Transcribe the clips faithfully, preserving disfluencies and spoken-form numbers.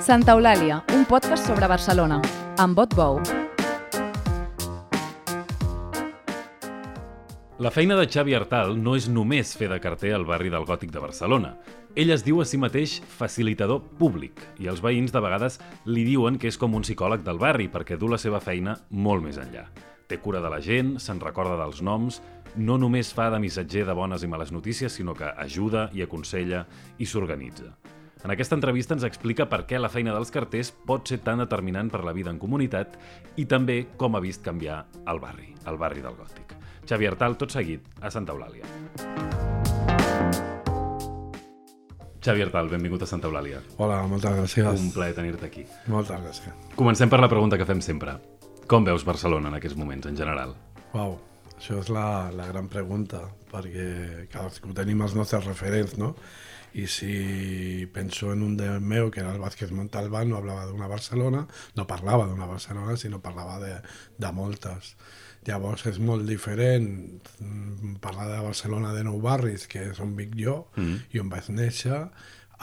Santa Eulàlia, un podcast sobre Barcelona, amb Bot Bou. La feina de Xavi Artal no és només fer de carter al barri del Gòtic de Barcelona. Ell es diu a si mateix facilitador públic i els veïns de vegades li diuen que és com un psicòleg del barri perquè du la seva feina molt més enllà. Té cura de la gent, se'n recorda dels noms, no només fa de missatger de bones i males notícies, sinó que ajuda i aconsella i s'organitza. En aquesta entrevista ens explica per què la feina dels carters pot ser tan determinant per la vida en comunitat i també com ha vist canviar el barri, el barri del Gòtic. Xavi Artal, tot seguit, a Santa Eulàlia. Xavi Artal, benvingut a Santa Eulàlia. Hola, moltes gràcies. Un plaer tenir-te aquí. Moltes gràcies. Comencem per la pregunta que fem sempre. Com veus Barcelona en aquests moments, en general? Uau, això és la, la gran pregunta, perquè cadascú tenim els nostres referents, no? I si penso en un del meu, que era el Vázquez Montalbán, no parlava d'una Barcelona, no parlava d'una Barcelona, sinó parlava de, de moltes. Llavors és molt diferent parlar de Barcelona de nou barris, que és on vic jo mm. i on vaig néixer,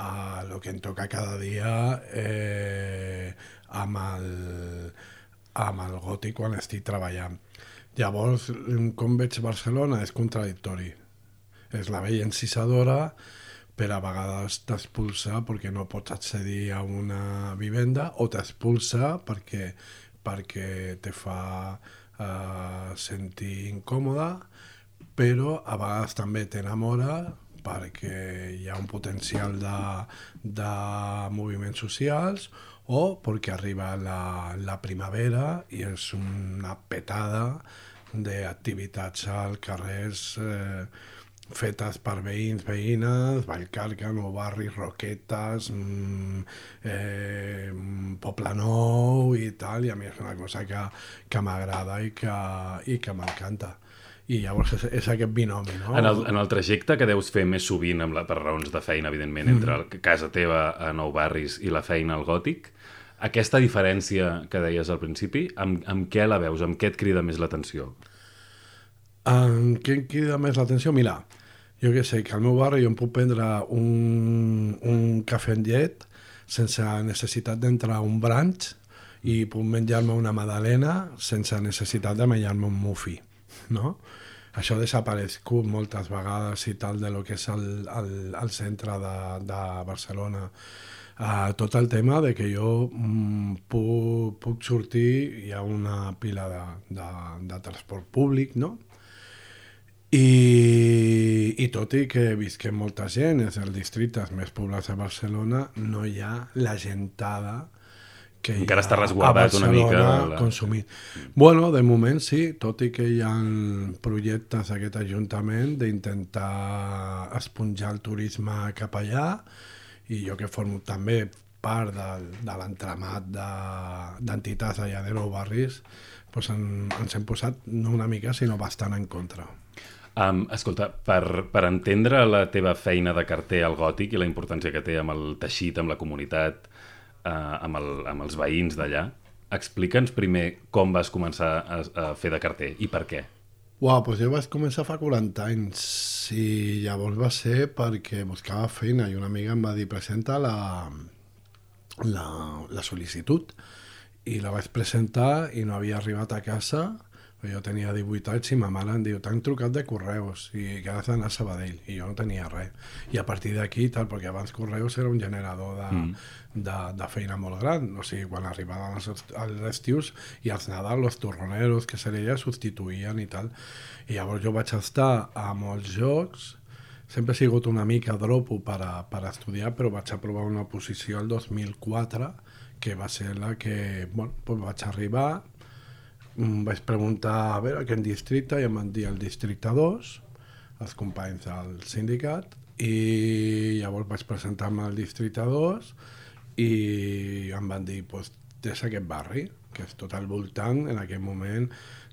a el que em toca cada dia eh, amb, el, amb el Gòtic quan estic treballant. Llavors, com veig Barcelona és contradictori. És la vella encisadora, però a vegades t'expulsa perquè no pots accedir a una vivenda o t'expulsa perquè, perquè te fa uh, sentir incòmoda, però a vegades també t'enamora perquè hi ha un potencial de, de moviments socials o perquè arriba la, la primavera i és una petada d'activitats al carrers eh, fetes per veïns, veïnes, Vallcarca, Nou Barri, Roquetes, mmm, eh, Poble Nou i tal, i a mi és una cosa que, que m'agrada i que, i que m'encanta. I llavors és, és aquest binomi, no? En el, en el trajecte que deus fer més sovint amb la, per raons de feina, evidentment, entre el, casa teva a Nou Barris i la feina al Gòtic, aquesta diferència que deies al principi, amb, amb què la veus? Amb què et crida més l'atenció? En què em crida més l'atenció? Mira, jo què sé, que al meu barri jo em puc prendre un, un cafè amb llet sense necessitat d'entrar a un brunch i puc menjar-me una magdalena sense necessitat de menjar-me un muffin, no? Això ha desaparegut moltes vegades i tal de lo que és el, el, el centre de, de Barcelona. Uh, tot el tema de que jo mm, puc, puc sortir, hi ha una pila de, de, de transport públic, no? I, i tot i que visquem molta gent, és el districte més poblat de Barcelona, no hi ha la gentada que encara hi ha està resguardat una mica la... consumint. Bueno, de moment sí, tot i que hi ha projectes d'aquest Ajuntament d'intentar esponjar el turisme cap allà, i jo que formo també part de, de l'entramat d'entitats allà de Nou Barris, doncs en, ens hem posat no una mica, sinó bastant en contra. Um, escolta, per, per entendre la teva feina de carter al Gòtic i la importància que té amb el teixit, amb la comunitat, uh, amb, el, amb els veïns d'allà, explica'ns primer com vas començar a, a fer de carter i per què. Uau, doncs jo vaig començar fa quaranta anys i llavors va ser perquè buscava feina i una amiga em va dir presenta la, la, la sol·licitud i la vaig presentar i no havia arribat a casa. Jo tenia divuit anys i ma mare em diu t'han trucat de Correus i que has d'anar a Sabadell i jo no tenia res i a partir d'aquí tal, perquè abans Correus era un generador de, mm. de, de feina molt gran, o sigui, quan arribaven els, els estius i als Nadal els torroneros que se li substituïen i tal, i llavors jo vaig estar a molts jocs, sempre he sigut una mica dropo per, a, per a estudiar, però vaig aprovar una posició el dos mil quatre que va ser la que, bueno, doncs vaig arribar. Vaig preguntar a veure quin districte i em van dir el districte dos, els companys del sindicat, i llavors vaig presentar-me al districte dos i em van dir, doncs, des aquest barri, que és tot al voltant en aquell moment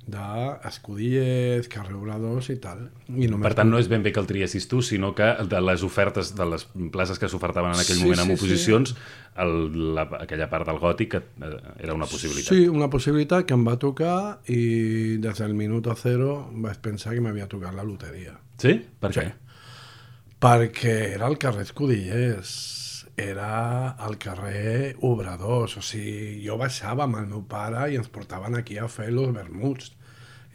d'Escudillers, Carrer Obradors i tal. I per tant, no és ben bé que el triessis tu, sinó que de les ofertes, de les places que s'ofertaven en aquell sí, moment amb sí, oposicions, sí. El, la, aquella part del Gòtic era una possibilitat. Sí, una possibilitat que em va tocar i des del minut zero vaig pensar que m'havia tocat la loteria. Sí? Per què? Sí. Perquè era el carrer Escudillers era al carrer Obradors, o sigui, jo baixava amb el meu pare i ens portaven aquí a fer els vermuts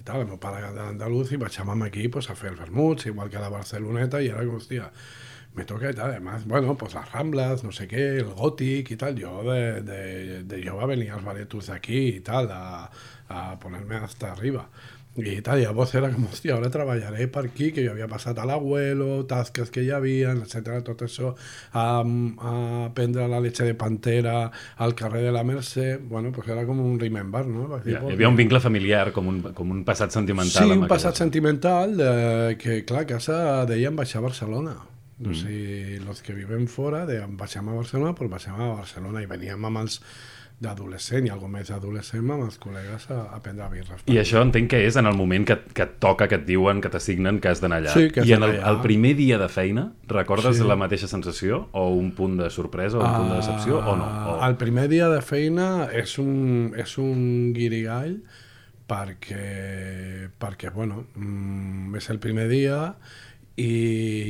i tal, el meu pare era d'Andalús i baixàvem aquí pues, a fer els vermuts, igual que a la Barceloneta, i era com, hòstia, me toca y tal, además, bueno, pues las Ramblas, no sé qué, el Gòtic y tal, yo de, de, de Jove venía als baretos d'aquí i tal, a, a ponerme hasta arriba. I tal, llavors era com, hòstia, ara treballaré per aquí, que jo havia passat a l'Abuelo, tasques que hi havia, etcètera, tot això, a, a prendre la leche de pantera al carrer de la Mercè, bueno, pues era com un remember, no? Dir, ja, hi havia un vincle familiar, com un, com un passat sentimental. Sí, un passat sentimental, de, que clar, a casa deien baixar a Barcelona. Mm. O sigui, els que vivem fora, deien baixem a Barcelona, però baixem a Barcelona, i veníem amb els d'adolescent i alguna més adolescent amb els col·legues a, a prendre birres. I això entenc que és en el moment que, que et toca, que et diuen, que t'assignen, que has d'anar allà. Sí, que has I en el, allà. el primer dia de feina, recordes Sí. la mateixa sensació? O un punt de sorpresa, o un punt de decepció, o no? O... El primer dia de feina és un, és un guirigall perquè, perquè bueno, mm, és el primer dia i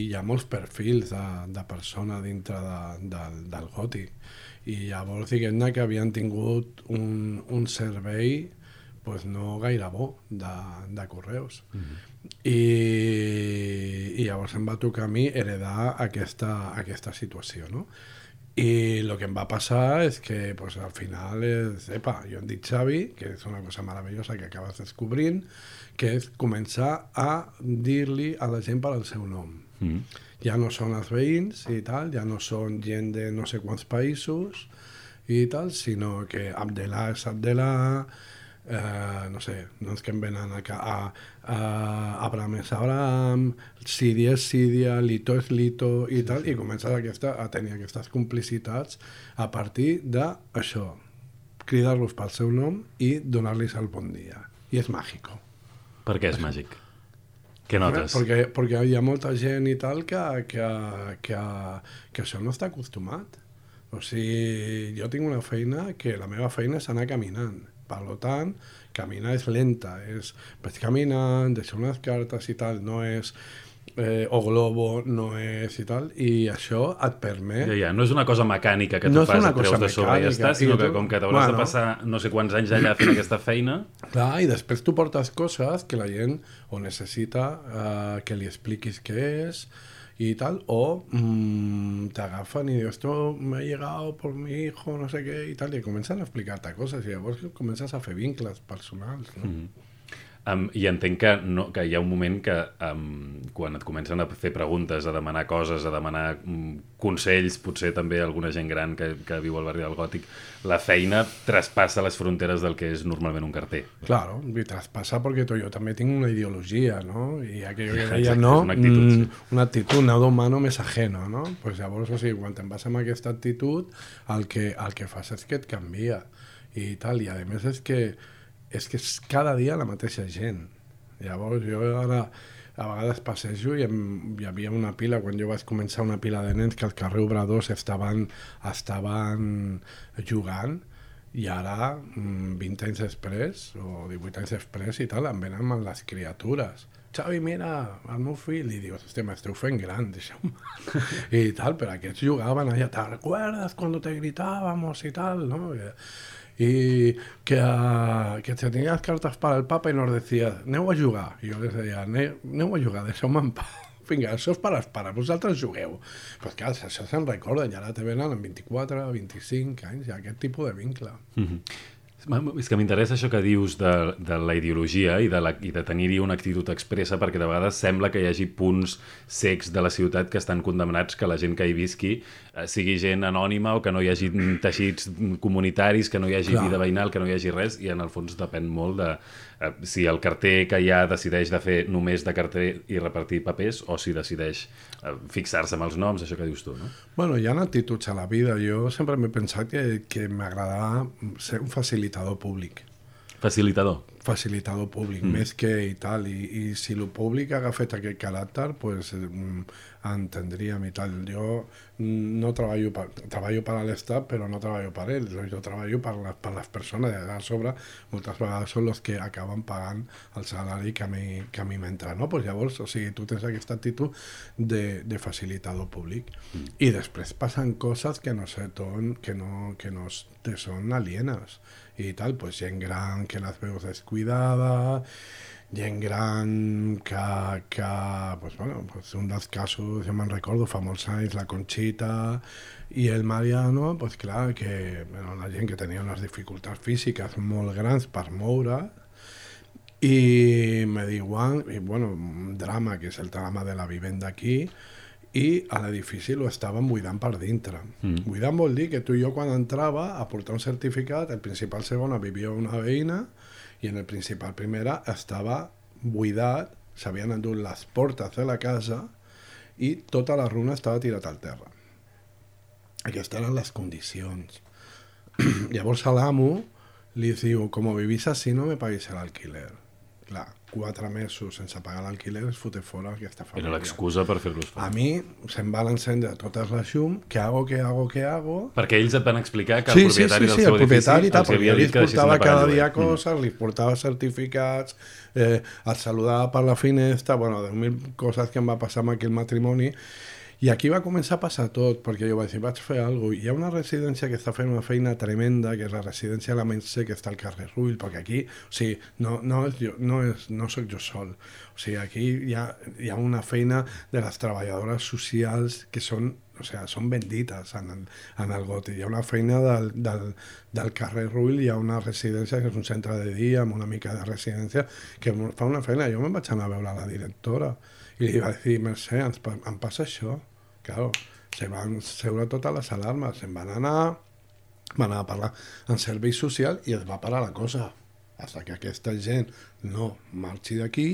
hi ha molts perfils de, de persona dintre de, de, del Gòtic. I llavors diguem-ne que havien tingut un, un servei pues, no gaire bo de, de correus. Mm-hmm. I, I llavors em va tocar a mi heredar aquesta, aquesta situació, no? I el que em va passar és que pues, al final és, epa, jo em dic Xavi, que és una cosa meravellosa que acabes descobrint, que és començar a dir-li a la gent per al seu nom. Mm. Ja no són els veïns i tal, ja no són gent de no sé quants països i tal, sinó que Abdelà és Abdelà, eh, no sé, no ens que em venen a, a, a Abraham és Abraham, Síria és Síria, Lito és Lito i tal, i comences aquesta, a tenir aquestes complicitats a partir d'això, cridar-los pel seu nom i donar-los el bon dia. I és màgico. Per què és màgic? Què notes? Perquè, perquè hi ha molta gent i tal que, que, que, que això no està acostumat. O sigui, jo tinc una feina que la meva feina és anar caminant. Per tant, caminar és lenta. És, vaig caminant, deixar unes cartes i tal, no és... Eh, o globo, no és i tal, i això et permet... Ja, ja, no és una cosa mecànica que tu no fas, et treus de sobre i ja està, sinó que com que t'hauràs bueno, de passar no sé quants anys allà fent aquesta feina... Clar, i després tu portes coses que la gent o necessita eh, que li expliquis què és i tal, o mmm, t'agafen i dius, esto me ha llegado por mi hijo, no sé què, i tal, i comencen a explicar-te coses, i llavors comences a fer vincles personals, no? Mm-hmm. Um, I entenc que, no, que hi ha un moment que um, quan et comencen a fer preguntes, a demanar coses, a demanar um, consells, potser també alguna gent gran que, que viu al barri del Gòtic, la feina traspassa les fronteres del que és normalment un carter. Claro, i traspassa perquè jo també tinc una ideologia, no? I aquello que deia, Exacte, no? una actitud, sí. Una actitud, nado humano més ajeno, no? Pues llavors, o sigui, quan te'n vas amb aquesta actitud, el que, el que fas és que et canvia i tal, i a més és que és que és cada dia la mateixa gent. Llavors jo ara a vegades passejo i em, hi havia una pila, quan jo vaig començar una pila de nens que al carrer Obradors estaven, estaven jugant i ara, vint anys després o divuit anys després i tal, em venen amb les criatures. Xavi, mira, el meu fill, i dius, hòstia, m'esteu fent gran, deixeu-me. I tal, però aquests jugaven allà, ¿te recuerdas cuando te gritábamos i tal, no? Y que, uh, que tenías cartas para el Papa y nos decías, aneu a jugar. I jo les deia, aneu a jugar, deixeu-me en pau. Vinga, això és per als pares, vosaltres jugueu. Però clar, això se'n recorda, i ara te venen amb vint-i-quatre, vint-i-cinc anys, ja, aquest tipus de vincle. Mm-hmm. És que m'interessa això que dius de, de la ideologia i de, la, i de tenir-hi una actitud expressa, perquè de vegades sembla que hi hagi punts cecs de la ciutat que estan condemnats que la gent que hi visqui eh, sigui gent anònima o que no hi hagi teixits comunitaris, que no hi hagi Clar. vida veïnal, que no hi hagi res, i en el fons depèn molt de eh, si el carter que hi ha decideix de fer només de carter i repartir papers o si decideix eh, fixar-se amb els noms, això que dius tu, no? Bueno, hi ha actituds a la vida. Jo sempre m'he pensat que, que m'agradava ser un facilitador públic. Facilitador? facilitador públic, mm. més que i tal, i, i si el públic ha agafat aquest caràcter, pues, eh, entendríem i tal. Jo no treballo per, treballo per a l'Estat, però no treballo per ell, jo treballo per, la, per les persones, i a sobre moltes vegades són els que acaben pagant el salari que a mi, que a mi m'entra, no? Pues llavors, o sigui, tu tens aquesta actitud de, de facilitador públic, mm. i després passen coses que no sé, ton, que no, que no te són alienes, i tal, pues gent gran que les veus descuidada, gent gran que, que pues bueno, pues un dels casos, jo me'n recordo, fa molts anys, la Conxita i el Mariano, pues clar, que bueno, la gent que tenia unes dificultats físiques molt grans per moure, i me diuen, i bueno, un drama, que és el drama de la vivenda aquí, i a l'edifici lo estaven buidant per dintre. Mm. Buidant vol dir que tu i jo quan entrava a portar un certificat, el principal segona vivia una veïna i en el principal primera estava buidat, s'havien endut les portes de la casa i tota la runa estava tirat al terra. Aquestes eren les condicions. Llavors a l'amo li diu, com vivís així no me paguis l'alquiler. Clar, quatre mesos sense pagar l'alquiler es foté fora aquesta família. Era l'excusa per fer-los fora. A mi se'm van encendre totes les llum, què hago, què hago, què hago... Perquè ells et van explicar que sí, el propietari sí, sí, del sí, seu el propietari edifici tal, els havia dit que deixessin portava de pagar cada el dia lloguer. coses, mm. li portava certificats, eh, el saludava per la finestra, bueno, deu mil coses que em va passar amb aquell matrimoni. I aquí va començar a passar tot, perquè jo vaig dir, vaig fer alguna cosa. Hi ha una residència que està fent una feina tremenda, que és la residència de la Mercè, que està al carrer Rull, perquè aquí, o sigui, no, no, és jo, no, és, no soc jo sol. O sigui, aquí hi ha, hi ha una feina de les treballadores socials que són, o sigui, són bendites en el, en el Gòtic. Hi ha una feina del, del, del carrer Rull, hi ha una residència que és un centre de dia, amb una mica de residència, que fa una feina. Jo me'n vaig anar a veure la directora i li va dir, Mercè, ens, em passa això. Claro, se van seure totes les alarmes, se'n van anar, van anar a parlar en servei social i es va parar la cosa. Fins que aquesta gent no marxi d'aquí,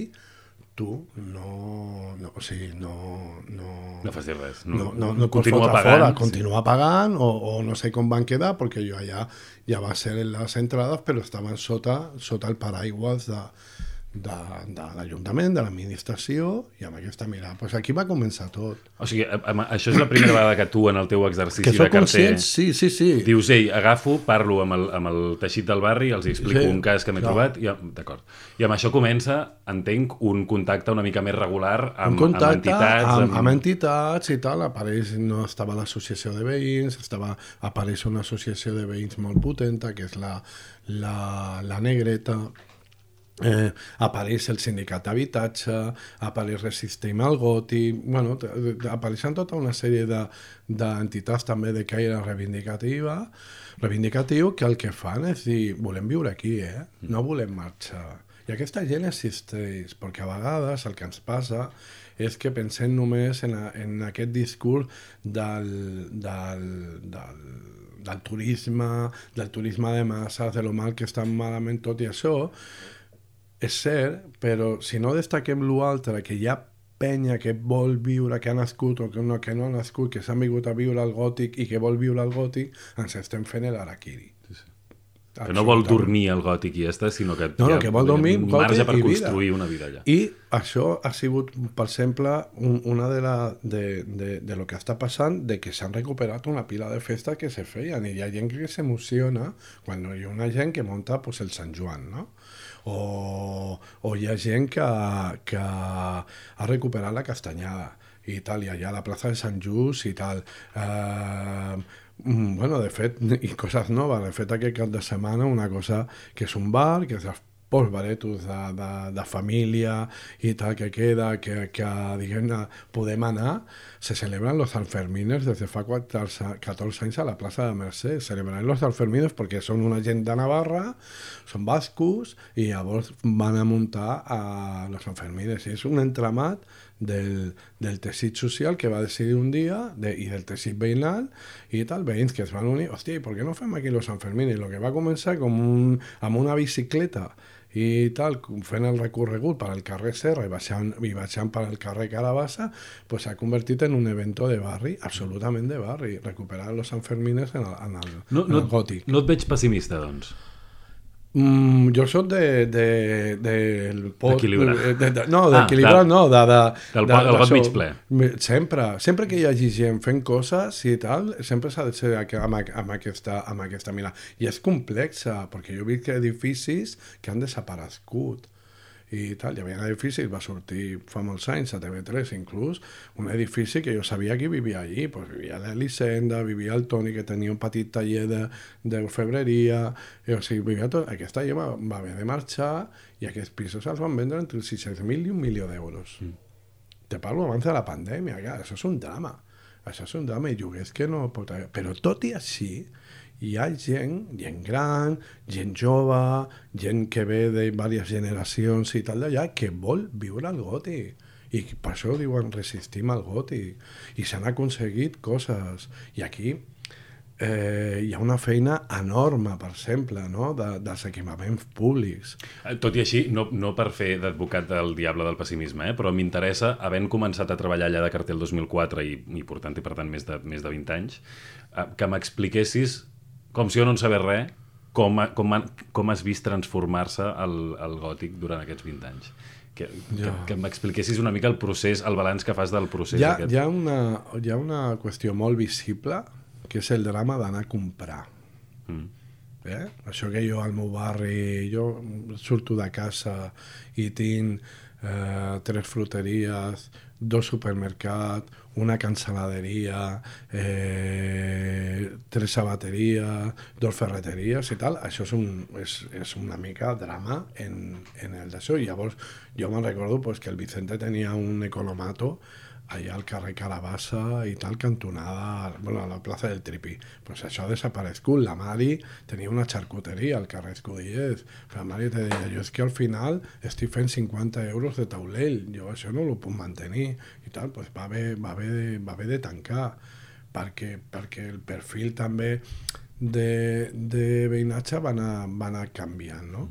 tu no, no, o sigui, no... No, no facis res. No, no, no, no continua pagant. Fora, continua sí. pagant, o, o no sé com van quedar, perquè jo allà ja va ser en les entrades, però estaven sota, sota el paraigües de... de, de l'Ajuntament, de l'administració, i amb aquesta mirada. Pues aquí va començar tot. O sigui, això és la primera vegada que tu, en el teu exercici que de carter, conscient, sí, sí, sí. dius, ei, agafo, parlo amb el, amb el teixit del barri, els explico sí, un cas que m'he trobat, i, d'acord. I amb això comença, entenc, un contacte una mica més regular amb, un amb entitats. Amb, amb... amb entitats i tal, apareix, no estava l'associació de veïns, estava, apareix una associació de veïns molt potenta, que és la, la, la Negreta. Eh, apareix el sindicat d'habitatge, apareix Resistim al Gòtic, bueno, apareixen tota una sèrie d'entitats de, també de caire reivindicativa, reivindicatiu, que el que fan és dir, volem viure aquí, eh? No volem marxar. I aquesta gent existeix, perquè a vegades el que ens passa és que pensem només en, a, en aquest discurs del, del, del, del turisme, del turisme de masses, de lo mal que està malament tot i això. És cert, però si no destaquem l'altre, que hi ha penya que vol viure, que ha nascut o que no, que no ha nascut, que s'han vingut a viure al Gòtic i que vol viure al Gòtic, ens estem fent l'araquiri. Sí, sí. Que no vol dormir al Gòtic i ja està, sinó que, no, no, que vol dormir, un marge per construir vida. Una vida allà. I això ha sigut, per exemple, un, una de, la, de, de, de lo que està passant, de que s'han recuperat una pila de festes que se feien, i hi ha gent que s'emociona quan hi ha una gent que munta pues, el Sant Joan, no? O, o hi ha gent que, que ha recuperat la castanyada i tal, i allà a la plaça de Sant Just i tal. Eh, bueno, de fet, i coses noves, de fet aquest cap de setmana una cosa que és un bar, que és els pocs baretos de, de, de família i tal que queda, que, que diguem-ne, podem anar, se celebran los Sanfermines des de fa catorze anys a la plaça de Mercè. Celebran los Sanfermines perquè són una gent de Navarra, són bascos, i llavors van a muntar a los Sanfermines. I és un entramat del, del teixit social que va decidir un dia, de, i del teixit veïnal, i tal, veïns que es van unir. Hòstia, per què no fem aquí los Sanfermines? Lo que va començar com un, amb una bicicleta, i tal, fent el recorregut per al carrer Serra i baixant, i baixant per al carrer Carabassa, pues s'ha convertit en un evento de barri, absolutament de barri, recuperar los Sanfermines en el, en el, no, en no, el Gòtic. No et veig pessimista, doncs? Mm, jo soc de, de, de, del pot... D'equilibrar. De, de, de, no, d'equilibrar ah, no, de... de del de, pot, el got de, mig ple. Sempre, sempre que hi hagi gent fent coses i tal, sempre s'ha de ser amb, amb, aquesta, amb aquesta mira. I és complexa, perquè jo he vist que edificis que han desaparegut i tal. Hi havia un edifici, va sortir fa molts anys a T V tres inclús, un edifici que jo sabia que vivia allí, pues vivia l'Elisenda, vivia el Toni, que tenia un petit taller de, de febreria, i, o sigui, vivia tot. Aquest taller va, va haver de marxar i aquests pisos els van vendre entre sis-cents mil i un milió d'euros. Mm. Te parlo abans de la pandèmia, clar, això és un drama. Això és un drama i lloguers que no pot haver. Però tot i així, hi ha gent, gent gran, gent jove, gent que ve de diverses generacions i tal d'allà, que vol viure al gòtic. I per això diuen resistim al gòtic. I s'han aconseguit coses. I aquí eh, hi ha una feina enorme, per exemple, no? de, dels equipaments públics. Tot i així, no, no per fer d'advocat del diable del pessimisme, eh? Però m'interessa, havent començat a treballar allà de carter el dos mil quatre i, i portant-hi, per tant, més de, més de vint anys, eh, que m'expliquessis, com si jo no en sabés res, com, com, com has vist transformar-se el, el gòtic durant aquests vint anys. Que, ja. que, que m'expliquessis una mica el procés, el balanç que fas del procés. Hi ha, aquest. Hi ha, una, hi ha una qüestió molt visible, que és el drama d'anar a comprar. Mm. Eh? Això que jo al meu barri, jo surto de casa i tinc eh, tres fruteries, dos supermercats, una cancel·laderia, eh, tres sabateries, dos ferreteries i tal, això és, un, és, és una mica drama en, en el d'això. I llavors jo me'n recordo pues, que el Vicente tenia un economato allà al carrer Carabassa i tal, cantonada, bueno, a la plaça del Tripí. Pues això ha desaparegut. La Mari tenia una xarcuteria al carrer Escudellers. La Mari te deia, jo és que al final estic fent cinquanta euros de taulell, jo això no ho puc mantenir i tal, pues va haver, va haver, de, va haver de tancar, perquè, perquè el perfil també de, de veïnatge va anar, va anar canviant, no?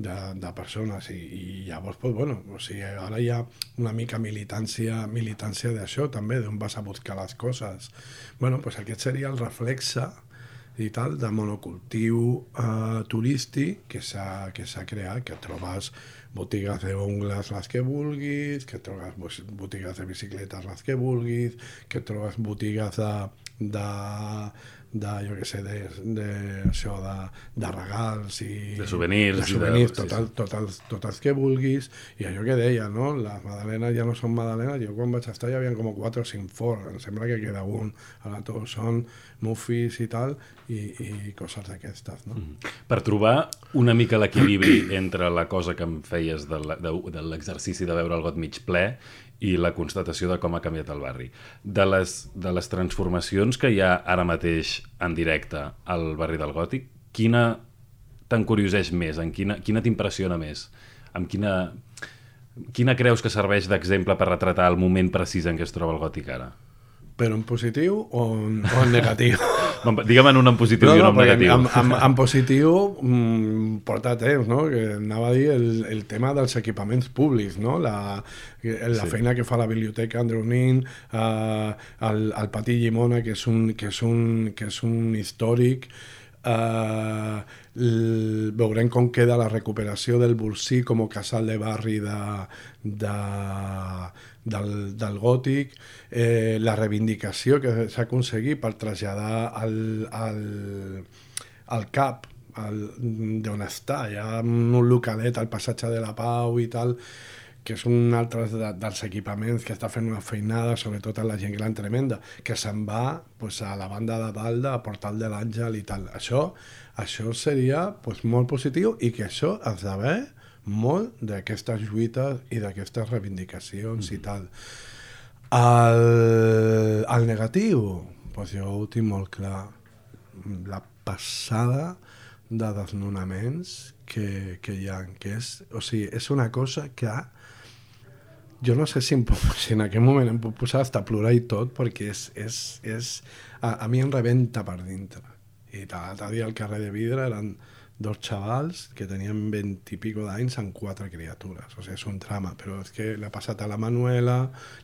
De, de persones i, i llavors, pues, bueno, o sigui, ara hi ha una mica militància, militància d'això també, d'on vas a buscar les coses. Bueno, pues aquest seria el reflexe i tal, de monocultiu eh, turístic que s'ha que s'ha creat, que trobes botigues d'ongles les que vulguis, que trobes botigues de bicicletes les que vulguis, que trobes botigues de, de de, jo què sé, de, de, això, de, de regals i... De souvenirs. De souvenirs, de... tot, el, tot, el, tot els que vulguis. I allò que deia, no? Les magdalenes ja no són magdalenes. Jo quan vaig estar hi havia com quatre o cinc forns. Em sembla que queda un. Ara tots són muffis i tal, i, i coses d'aquestes, no? Mm. Per trobar una mica l'equilibri entre la cosa que em feies de, de, de l'exercici de veure el got mig ple i la constatació de com ha canviat el barri. De les, de les transformacions que hi ha ara mateix en directe al barri del Gòtic, quina t'encurioseix més? En quina, quina t'impressiona més? Amb quina, quina creus que serveix d'exemple per retratar el moment precís en què es troba el Gòtic ara? Però en positiu o en, o en negatiu? Digue'm en un en positiu no, i un en negatiu. En, en, en positiu mmm, porta temps, no? Que anava a dir el, el tema dels equipaments públics, no? La, la sí. feina que fa la biblioteca Andreu Nin, eh, el, el Pati Llimona, que és un, que és un, que és un històric. Uh, l, veurem com queda la recuperació del Bolsí com a casal de barri de, de, del, del Gòtic, eh, la reivindicació que s'ha aconseguit per traslladar al, al, al C A P d'on està, hi ha un localet al passatge de la Pau i tal, que és un altre de, dels equipaments que està fent una feinada, sobretot a la gent gran tremenda, que se'n va pues, a la banda de dalt de Portal de l'Àngel i tal. Això, això seria pues, molt positiu i que això has de ver molt d'aquestes lluites i d'aquestes reivindicacions mm. i tal. El, el negatiu, pues jo ho tinc molt clar. La passada de desnonaments que, que hi ha, que és, o sigui, és una cosa que jo no sé si, em, si en aquest moment em puc posar hasta plorar i tot, perquè és, és, és, a, a mi em rebenta per dintre. I l'altre dia al carrer de Vidre eren dos xavals que tenien vint i pico d'anys amb quatre criatures. O sigui, és un drama, però és que li ha passat a la Manuela,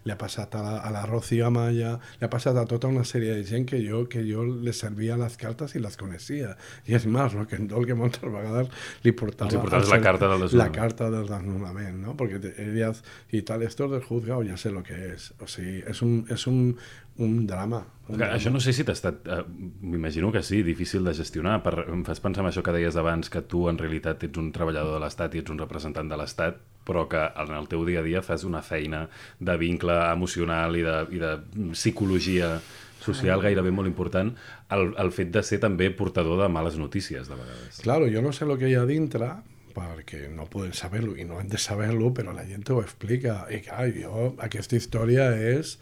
li ha passat a la, a la Rocío Amaya, li ha passat a tota una sèrie de gent que jo, que jo les servia les cartes i les coneixia. I és més, rock and roll que moltes vegades li portava... Els portaves la carta del desnonament. La carta del desnonament, ¿no? Porque ellas y tal, esto del juzgado ya sé lo que es. O sigui, és un, és un, un drama. Un drama. Això no sé si t'ha estat... Uh, m'imagino que sí, difícil de gestionar. Per, em fas pensar en això que deies abans, que tu en realitat ets un treballador de l'Estat i ets un representant de l'Estat, però que en el teu dia a dia fas una feina de vincle emocional i de, i de psicologia social gairebé molt important, el, el fet de ser també portador de males notícies, de vegades. Claro, yo no sé lo que hay adintre, perquè no poden saber-lo i no han de saber-lo, però la gent ho explica. I clar, jo, aquesta història és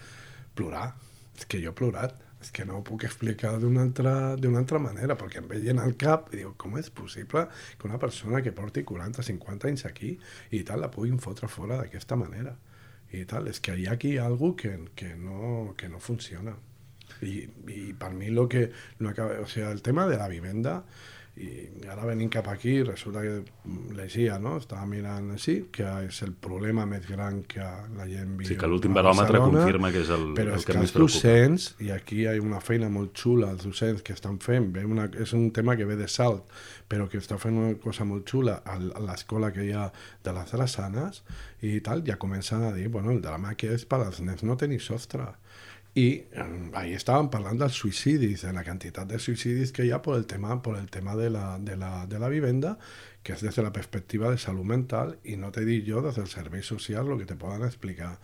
plorar. És que jo he plorat. És que no ho puc explicar d'una altra, d'una altra manera, perquè em veien al cap i dic, com és possible que una persona que porti quaranta o cinquanta anys aquí i tal la puguin fotre fora d'aquesta manera? I tal, és que hi ha aquí alguna que, que, no, que no funciona. I, i per mi lo que no acaba, o sea, el tema de la vivenda, i ara venint cap aquí resulta que llegia, no? Estava mirant així, que és el problema més gran que la gent viu. Sí, que l'últim baròmetre confirma que és el, però el és que, que més els preocupa. docents, i aquí hi ha una feina molt xula, els docents que estan fent, ve una, és un tema que ve de Salt, però que està fent una cosa molt xula a l'escola que hi ha de les Drassanes i tal, ja comencen a dir, bueno, el drama que és per als nens no tenir sostre. I eh, ahí estaven parlant dels suïcidis, de la quantitat de suïcidis que hi ha per el tema, per el tema de, la, de, la, de la vivenda, que és des de la perspectiva de salut mental, i no te dic jo des del servei social el que te poden explicar.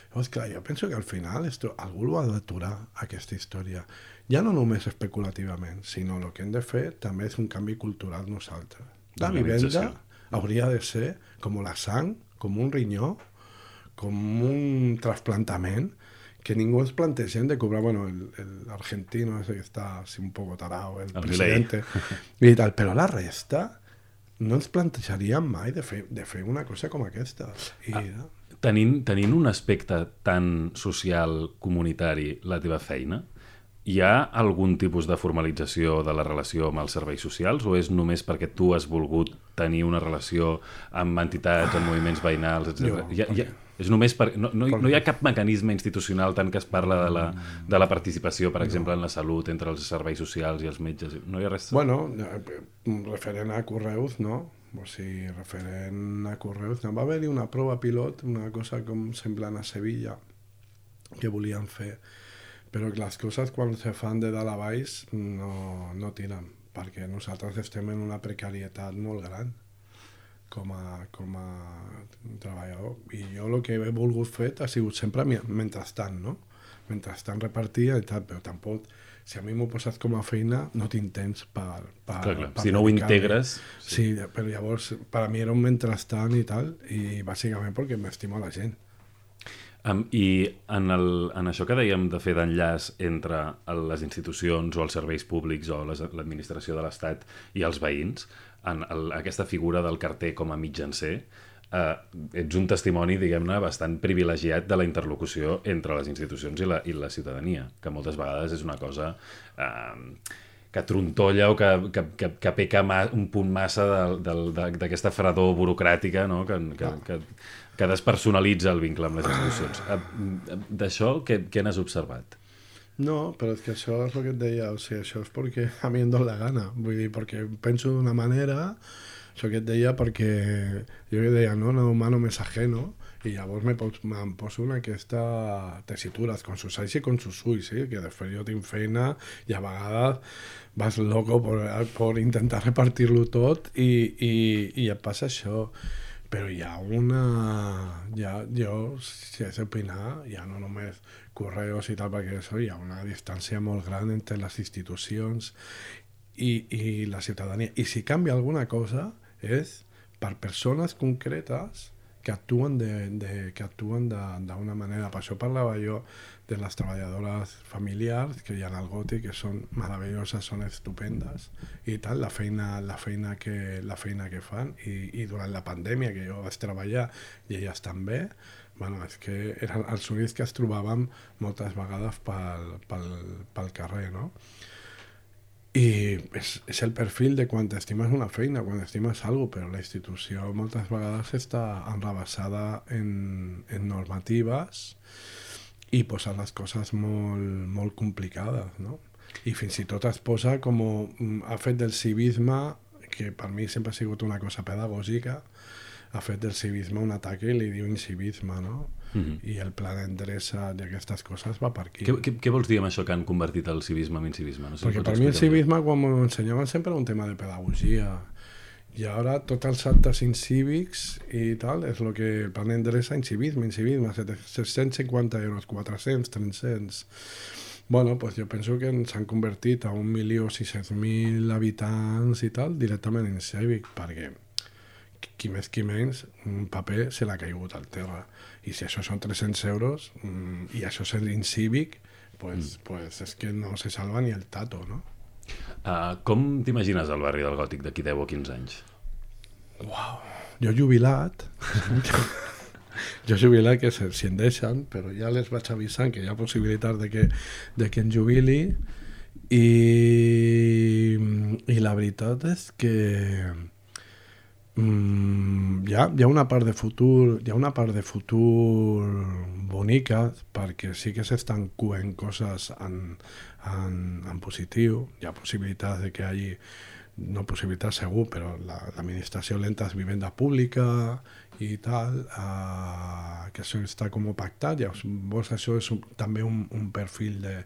Llavors, clar, jo penso que al final esto, algú ho ha d'aturar, aquesta història. Ja no només especulativament, sinó el que hem de fer també és un canvi cultural nosaltres. La vivenda hauria de ser com la sang, com un rinyó, com un trasplantament, que ningú ens plantegem de cobrar, bueno, el, el argentino ese que está así un poco tarado, el, el presidente, i tal, però la resta no ens plantejaríem mai de fer, de fer una cosa com aquesta. I, ah, tenint, tenint un aspecte tan social, comunitari, la teva feina, hi ha algun tipus de formalització de la relació amb els serveis socials o és només perquè tu has volgut tenir una relació amb entitats, amb moviments veïnals, etcètera? Jo, hi ha, hi ha, és només per, no, no, no hi ha cap mecanisme institucional tant que es parla de la, de la participació, per exemple, en la salut, entre els serveis socials i els metges. No hi ha res? Bueno, referent a Correus, no? O sigui, referent a Correus, no va haver-hi una prova pilot, una cosa com semblant a Sevilla, que volien fer, però les coses quan se fan de dalt a baix no, no tiren, perquè nosaltres estem en una precarietat molt gran com a, com a treballador. I jo el que he volgut fer ha sigut sempre mentrestant, no? Mentrestant repartia i tal, però tampoc, si a mi m'ho posat com a feina, no tinc temps per... per, clar, clar. per si no ho integres... Sí. sí, però llavors per a mi era un mentrestant i tal, i bàsicament perquè m'estimo la gent. Um, I en, el, en això que dèiem de fer d'enllaç entre les institucions o els serveis públics o les, l'administració de l'Estat i els veïns, en el, aquesta figura del carter com a mitjancer, eh, ets un testimoni, diguem-ne, bastant privilegiat de la interlocució entre les institucions i la, i la ciutadania, que moltes vegades és una cosa eh, que trontolla o que, que, que, que peca ma, un punt massa d'aquesta fredor burocràtica, no? que, que, que, que despersonalitza el vincle amb les institucions. D'això, què, què n'has observat? No, però és que això és el que et deia, o sigui, això és perquè a mi em dóna la gana, vull dir, perquè penso d'una manera, això que et deia perquè jo que deia, no, no humano més ajeno, i llavors me pos, em poso en aquesta tessitura, con sus ais i con sus ulls, sí? Que després jo tinc feina i a vegades vas loco per, per intentar repartir-lo tot i, i, i et passa això. Però hi ha una... Ja, jo, si haig d'opinar, ja no només correus i tal, perquè això, hi ha una distància molt gran entre les institucions i, i la ciutadania. I si canvia alguna cosa és per persones concretes que actuen de, de, que actuen d'una manera. Per això parlava jo de les treballadores familiars que hi ha al Gòtic, que són meravelloses, són estupendes i tal, la feina, la feina, que, la feina que fan i, i durant la pandèmia que jo vaig treballar i elles també, bueno, és que eren els únics que es trobàvem moltes vegades pel, pel, pel carrer, no? I és, és el perfil de quan estimes una feina, quan estimes alguna cosa, però la institució moltes vegades està enrabassada en, en normatives i posa les coses molt, molt complicades, no? I fins i tot es posa com ha fet del civisme, que per mi sempre ha sigut una cosa pedagògica, ha fet del civisme un atac i li diu incivisme, no? Mm-hmm. I el pla d'endreça d'aquestes coses va per aquí. Què, què, què vols dir amb això que han convertit el civisme en incivisme? No sé Perquè si per mi el civisme, quan m'ho ensenyaven, sempre era un tema de pedagogia. I ara tots els actes incívics i tal, és el que el pla d'endreça, incivisme, incivisme, set-cents cinquanta euros, quatre-cents, tres-cents... Bueno, pues jo penso que s'han convertit a un milió sis-cents mil habitants i tal directament en cívic, perquè qui més qui menys, un paper se l'ha caigut al terra. I si això són tres-cents euros mm, i això és l'incívic, pues, mm. pues és que no se salva ni el tato, no? Uh, com t'imagines el barri del Gòtic d'aquí deu o quinze anys? Uau, jo jubilat... Jo jubilat, que si en deixen, però ja les vaig avisant que hi ha possibilitat de que, de que em jubili i, i la veritat és que mm, hi, ha, hi ha una part de futur hi ha una part de futur bonica, perquè sí que s'estan coent coses en, en, en positiu. Hi ha possibilitats de que hi hagi, no possibilitat segur, però l'administració la, lenta és vivenda pública i tal, uh, que això està com pactat. Llavors això és un, també un, un perfil de,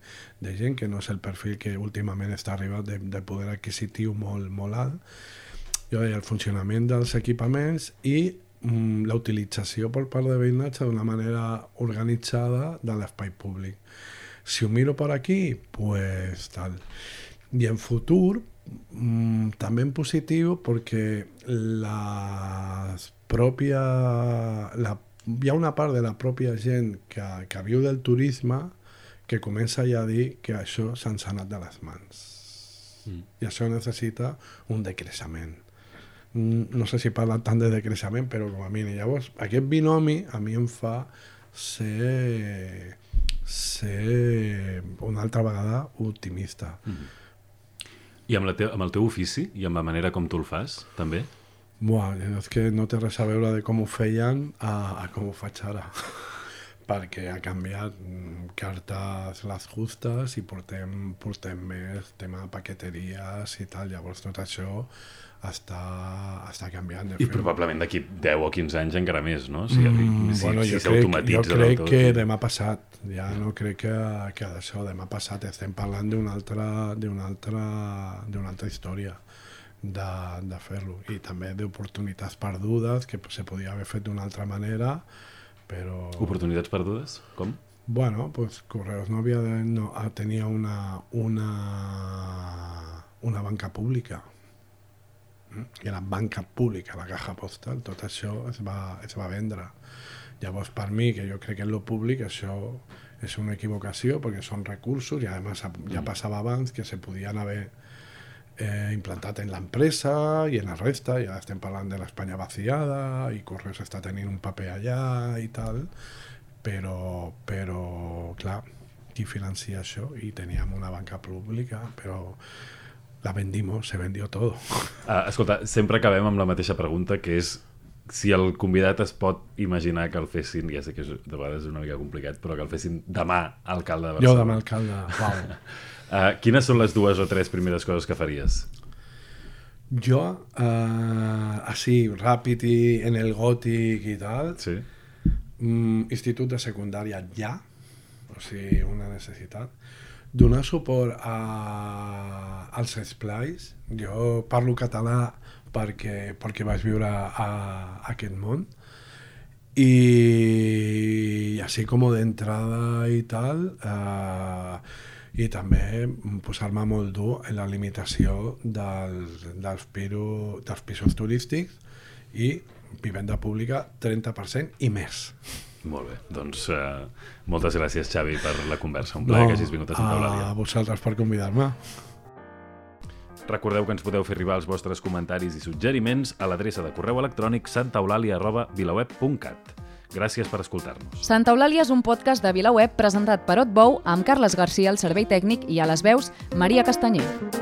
de gent que no és el perfil que últimament està arribat de, de poder adquisitiu molt, molt alt. Jo deia, el funcionament dels equipaments i mm, la utilització per part de veïnatge d'una manera organitzada de l'espai públic. Si ho miro per aquí, pues tal. I en futur, mm, també en positiu, perquè les pròpia, la, hi ha una part de la pròpia gent que, que viu del turisme que comença ja a dir que això se'ns ha anat de les mans. Mm. I això necessita un decreixement. No sé si parla tant de decreixement, però com a mínim. Llavors, aquest binomi a mi em fa ser, ser una altra vegada optimista. Mm. I amb, la te amb el teu ofici i amb la manera com tu el fas, també? Buah, és que no té res a veure de com ho feien a, a com ho faig ara. Perquè ha canviat cartes les justes i portem, portem més tema de paqueteries i tal. Llavors tot això està, està canviant. De I fet. Probablement d'aquí deu o quinze anys encara més, no? Si, mm, si, bueno, si jo crec, jo crec tot. que demà passat, ja no crec que, que d'això, demà passat estem parlant d'una altra, d'una altra, d'una altra història. de, de fer-lo, i també d'oportunitats perdudes que se podia haver fet d'una altra manera, però... Oportunitats perdudes? Com? Bueno, pues Correos no havia de, no, tenia una, una, una banca pública, i la banca pública, la caja postal, tot això es va, es va vendre. Llavors, per mi, que jo crec que en lo públic això és una equivocació, perquè són recursos, i a més ja passava abans que se podien haver eh, implantat en l'empresa i en la resta, ja estem parlant de l'Espanya vaciada, i Correos està tenint un paper allà i tal, però, però clar, qui financia això? I teníem una banca pública, però la vendimos, se vendió todo. Ah, escolta, sempre acabem amb la mateixa pregunta, que és si el convidat es pot imaginar que el fessin, ja sé que de vegades és una mica complicat, però que el fessin demà alcalde de Barcelona. Jo demà alcalde, wow. uh, quines són les dues o tres primeres coses que faries? Jo, uh, així, ràpid i en el gòtic i tal, sí. mm, institut de secundària ja, o sigui, una necessitat. Donar suport a, als esplais. Jo parlo català perquè, perquè vaig viure a, a aquest món, i així com d'entrada i tal, eh, i també posar-me molt dur en la limitació dels, dels, piro, dels pisos turístics i vivenda pública trenta per cent i més. Molt bé, doncs uh, moltes gràcies, Xavi, per la conversa. Un plaer no, que hagis vingut a Santa Eulàlia. A vosaltres per convidar-me. Recordeu que ens podeu fer arribar els vostres comentaris i suggeriments a l'adreça de correu electrònic santaeulàlia arroba vilaweb punt cat. Gràcies per escoltar-nos. Santa Eulàlia és un podcast de VilaWeb presentat per Otbou amb Carles Garcia al servei tècnic i a les veus Maria Castanyer.